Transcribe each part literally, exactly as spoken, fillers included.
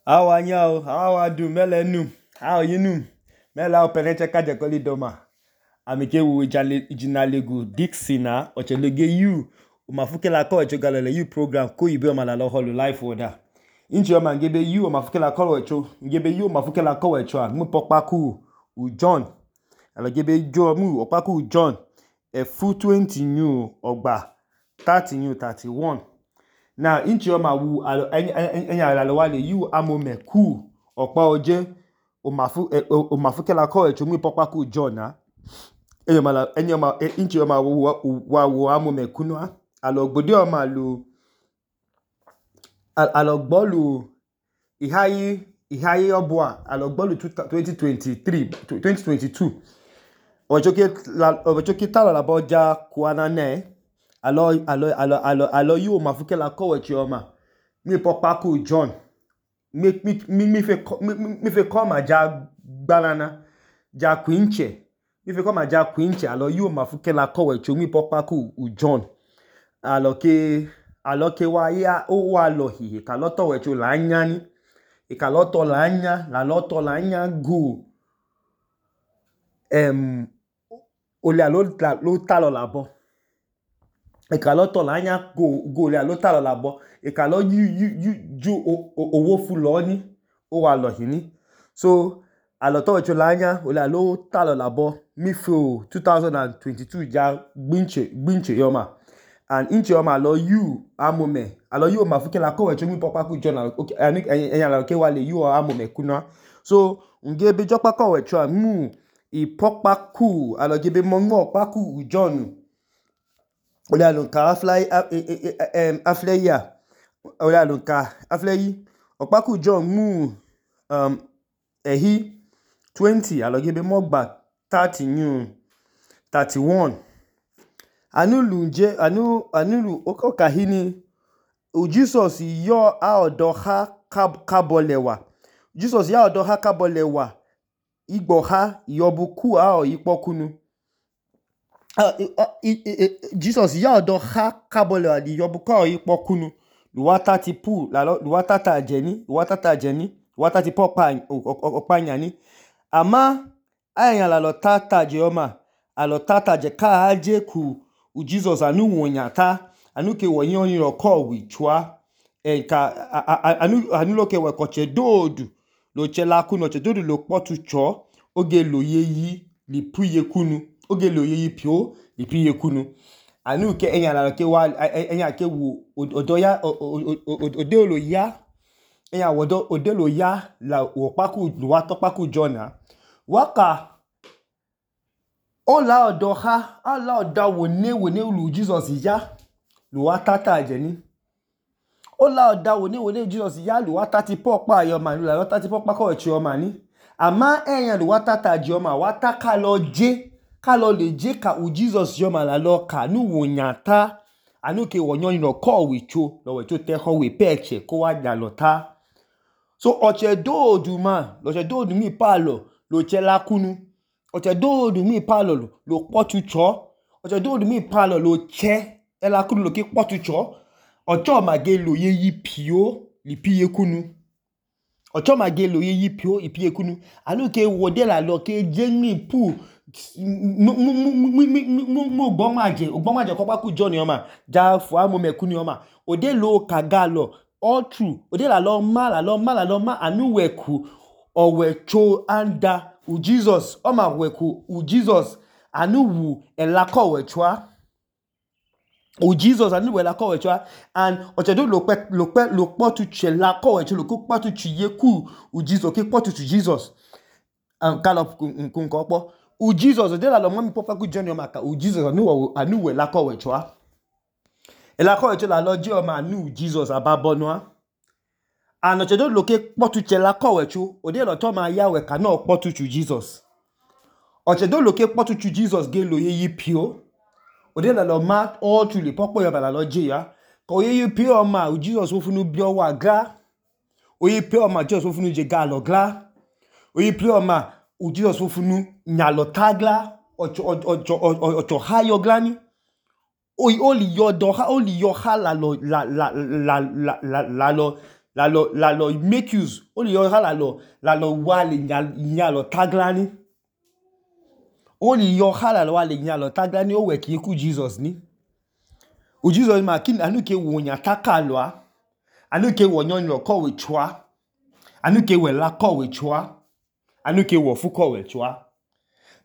How are you? How are you? Melenu? How are you? Nu? Mela openeche kaje koli doma. Amike wu ijinalegu Dixina ochelege you umafuke la ko echo galele you program ko ibe omala lo holu life order. Inchi oma ngebe you umafuke la ko echo ngebe you umafuke la ko echo mu pokpaku u John. Alo gebe jo mu opaku John e fu twenty new ogba thirty new thirty-one. Now inchi oma wu enya la lo wale you amome ku opa oje umafu umafuke la ko echo mu pokpaku John na. Enyoma enyoma inchi oma wu wa wu amome kunwa alo gbode oma lu alo gbolu ihayi ihayi obwa alo gbolu twenty twenty-three twenty twenty-two ojoke la ojoke talo la boja kuana ne alo alo alo alo alo you mafuke la ko echo oma mi pokpaku John mi mi mi fe mi fe koma ja gbanana ja kwinche mi fe koma ja kwinche alo you mafuke la ko echo mi pokpaku u John alo ke alo ke wa ya o wa lo hi ka lo to wecho la anya ni e ka lo to la anya la lo to la anya go em ole alo lo ta lo labo e ka lo to la anya go go ole alo ta lo labo e ka lo yu yu ju owo fu lo ni o wa lo hi ni so alo to wecho la anya ole alo ta lo labo mi fo twenty twenty-two ja gbinche gbinche yoma and inchi oma alo you amome alo you mafuke la ko wecho mi pokpaku John okay ani enya la ke wale you amome kuna so ngebe jokpa ko wecho mu i pokpaku alo gebe mongo paku John ole alo ka fly em afleya ole alo ka afleyi opaku John mu um ehi twenty alo gebe mogba thirty new thirty-one anulu nje anu anulu okahini u Jesus yo a odo ha kabolewa Jesus ya odo ha kabolewa igbo ha yobuku a o ipokunu Jesus ya odo ha kabolewa di yobuku a o ipokunu luwa thirty pu la luwa tata jeni luwa tata jeni luwa thirty popa opanya ni ama aya la lo tata jeoma alo tata je ka aje ku u Jesus anu wonyata anu ke wonyo yin ro ko wi chua e ka anu anu lo ke we ko che dodu lo che la ku no che dodu lo potu cho oge lo yeyi li puye kunu oge lo yeyi pio li puye kunu anu ke enya la ke wa enya ke wu odoya ode lo ya enya wodo ode lo ya la wo paku lo wa to paku John waka ola odo ha ala oda wone wone lu Jesus ya lu wa tata jeni ola oda wone wone Jesus ya lu wa thirty popa yo ma lu la thirty popa ko echi o ma ni ama eyan lu wa tata je o ma wa ta ka lo je ka lo le je ka u Jesus yo ma la lo ka nu wonyata anu ke wonyo yin ko we cho lo we cho te ho we peche ko wa ja lo ta so oche dodu ma lo che dodu mi palo lo che la kunu oche dodu mi palo lo potu cho oche dodu mi palo lo che e la kunu lo ke potu cho ocho mage lo ye yi pio li piye kunu ocho mage lo ye yi pio ipiye kunu anu ke wode la lo ke jeni pu mu mu mu mu mu gbomaje gbomaje ko paku John yoma ja fu amome kunu yoma ode lo kaga lo all true ode la lo ma la lo ma la lo ma anu weku owecho anda u Jesus o ma weku u Jesus anu wu elako wechwa u Jesus anu wu elako wechwa and ochedo lo pe lo pe lo potu che la ko wecho lo ko potu chiye ku u Jesus ke potu to Jesus and kalo kun ko po u Jesus ode la lo mo mi popa ku John maka u Jesus anu wu anu wu elako wechwa elako wecho la lo je o ma anu Jesus ababonwa and ochedo lo ke potu che la ko wecho ode lo to ma ya we ka na potu to Jesus ochedo lo ke potu to Jesus ge lo ye yi pio ode la lo ma all to le popo yo bala lo je ya ko ye yi pio ma u Jesus wo funu bi o wa ga o ye pio ma Jesus wo funu je ga lo gla o ye pio ma u Jesus wo funu nya lo tagla ocho ocho ocho ha yo glani o o li yo do ha o li yo ha la lo la la la la la lo la lo la lo make use o le yọ ha la lo la lo wa le nya lo tagla ni o le yọ ha la lo wa le nya lo tagla ni o we ki ku Jesus ni o Jesus ma kin anu ke wo nya taka lo a anu ke wo nyon lo ko we chwa anu ke we la ko we chwa anu ke wo fu ko we chwa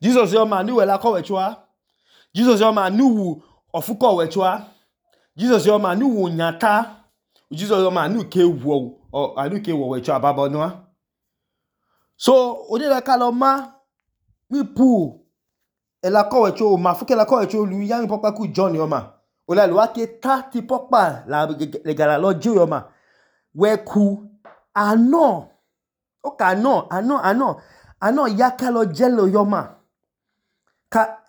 Jesus yo ma anu we la ko we chwa Jesus yo ma anu wu ofu ko we chwa Jesus yo ma anu wo nya ta Jesus yo ma anu ke wo anu ke wo we chwa babo no so o de la ka lo ma mi pu e la ko we chwa ma fu ke la ko we chwa lu yan papa ku John yo ma o la lo wa ke ta ti papa la le gala lo ju yo ma we ku ano o ka no ano ano ano ya ka lo jelo yo ma ka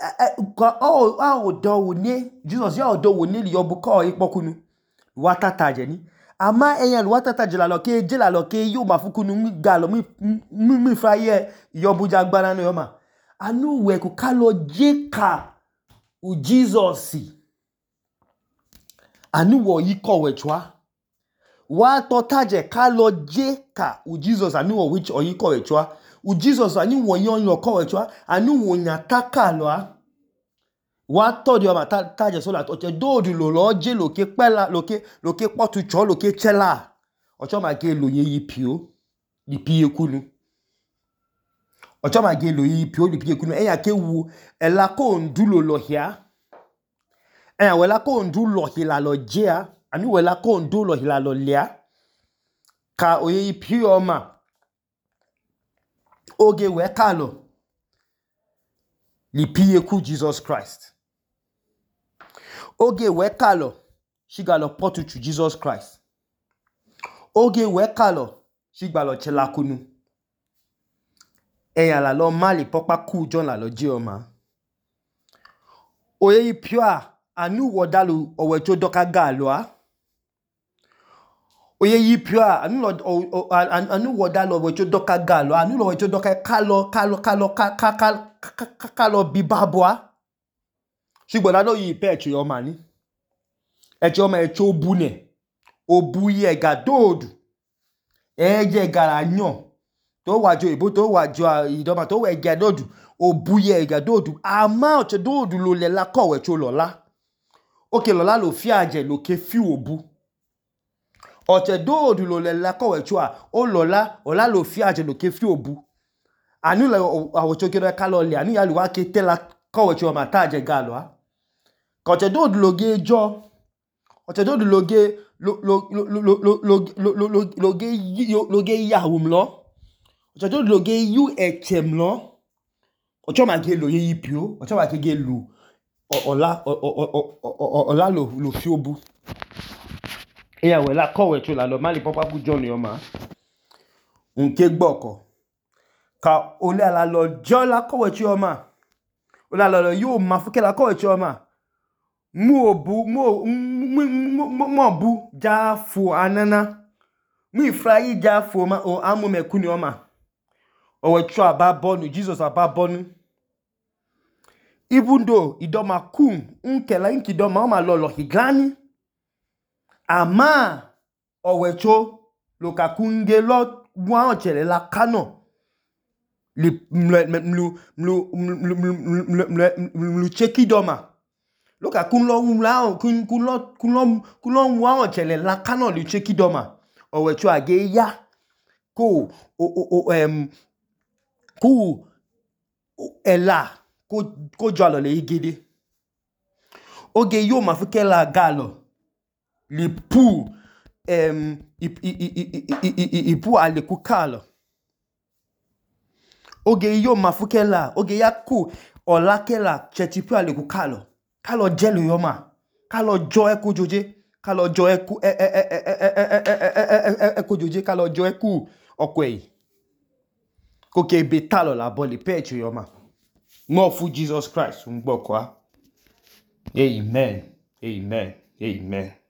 ka o o do wo ni Jesus ya o do wo ni li yo bu ko ipokunu wa tata je ni ama eyan wa tata je la lo ke je la lo ke yo ma fukunu mi ga lo mi mi mi fa ye yo bu jagbara no yo ma anu we ku ka lo je ka u Jesus anu wo yi ko we chwa wa to taje ka lo je ka u Jesus anu wo which oyi ko we chwa u Jesus anu wo yon lo ko we chwa anu wo nya taka lo a wa to di o ma taje so la to je do du lo lo je lo ke pela lo ke lo ke potu cho lo ke chela ocho ma ge lo ye yi pio di pie kunu ocho ma ge lo yi pio di pie kunu e ya ke wu e la ko ndu lo lo hia e ya we la ko ndu lo hi la lo je a anu we la ko ndu lo hi la lo lia ka o ye pio ma oge we ka lo li pie ku Jesus Christ oge we ka lo shi ga lo potu chu Jesus Christ oge we ka lo shi gba lo chela kunu e ya la lo mali popa ku John la lo je o ma o ye pio a anu wo dalu o we cho doka ga lo a oye yi pio anu lo anu wo dalu o we cho doka ga lo anu lo we cho doka ka lo ka lo ka lo ka ka ka ka lo bi babwa shigbo la lo yi pe cho yo ma ni e cho ma e cho bu ne obu ye ga dodu e je gara yan to wa jo ibo to wa jo idoma to we ga dodu obu ye ga dodu ama o che dodu lo le la ko we cho lo la oke lo la lo fi aje lo ke fi obu o che dodu lo le la ko we cho a o lo la o la lo fi aje lo ke fi obu anu la o cho ke ka lo le anu ya lo wa ke te la ko we cho ma ta aje ga lo a ko che dodu lo ge jo o che dodu lo ge lo lo lo lo lo lo lo lo ge lo ge ya wum lo o che dodu lo ge yu echem lo o cho ma ge lo ye yipio o cho ma ke ge lu ola ola lo lo fi obu e ya we la ko we cho la lo mali papa ku John yo ma nke gboko ka o le la lo jo la ko we cho ma o la lo yo ma fu ke la ko we cho ma mu obu mu mu bu ja fu anana mu ifrai ja fu ma o amu mekuni o ma o we cho ababonu Jesus ababonu even though idoma kum nkela inki doma o ma lo lo higani ama o we cho lo ka kunge lo wa o chele la kano li mlu mlu mlu cheki doma lo ka kun lo la kun kun lo kun lo kun lo wa o chele la kano li cheki doma o we cho age ya ko o o em ku ela ko ko jalo le igede oge yo ma fu ke la galo li pu em i pu ale ku kalo oge yo ma fu ke la oge ya ku ola ke la chetipu ale ku kalo kalo jelo yo ma kalo jo e ku joje kalo jo e ku e e e e e ku joje kalo jo e ku okwe ko ke be talo la boli pecho yo ma mo fu Jesus Christ un gboko a amen amen amen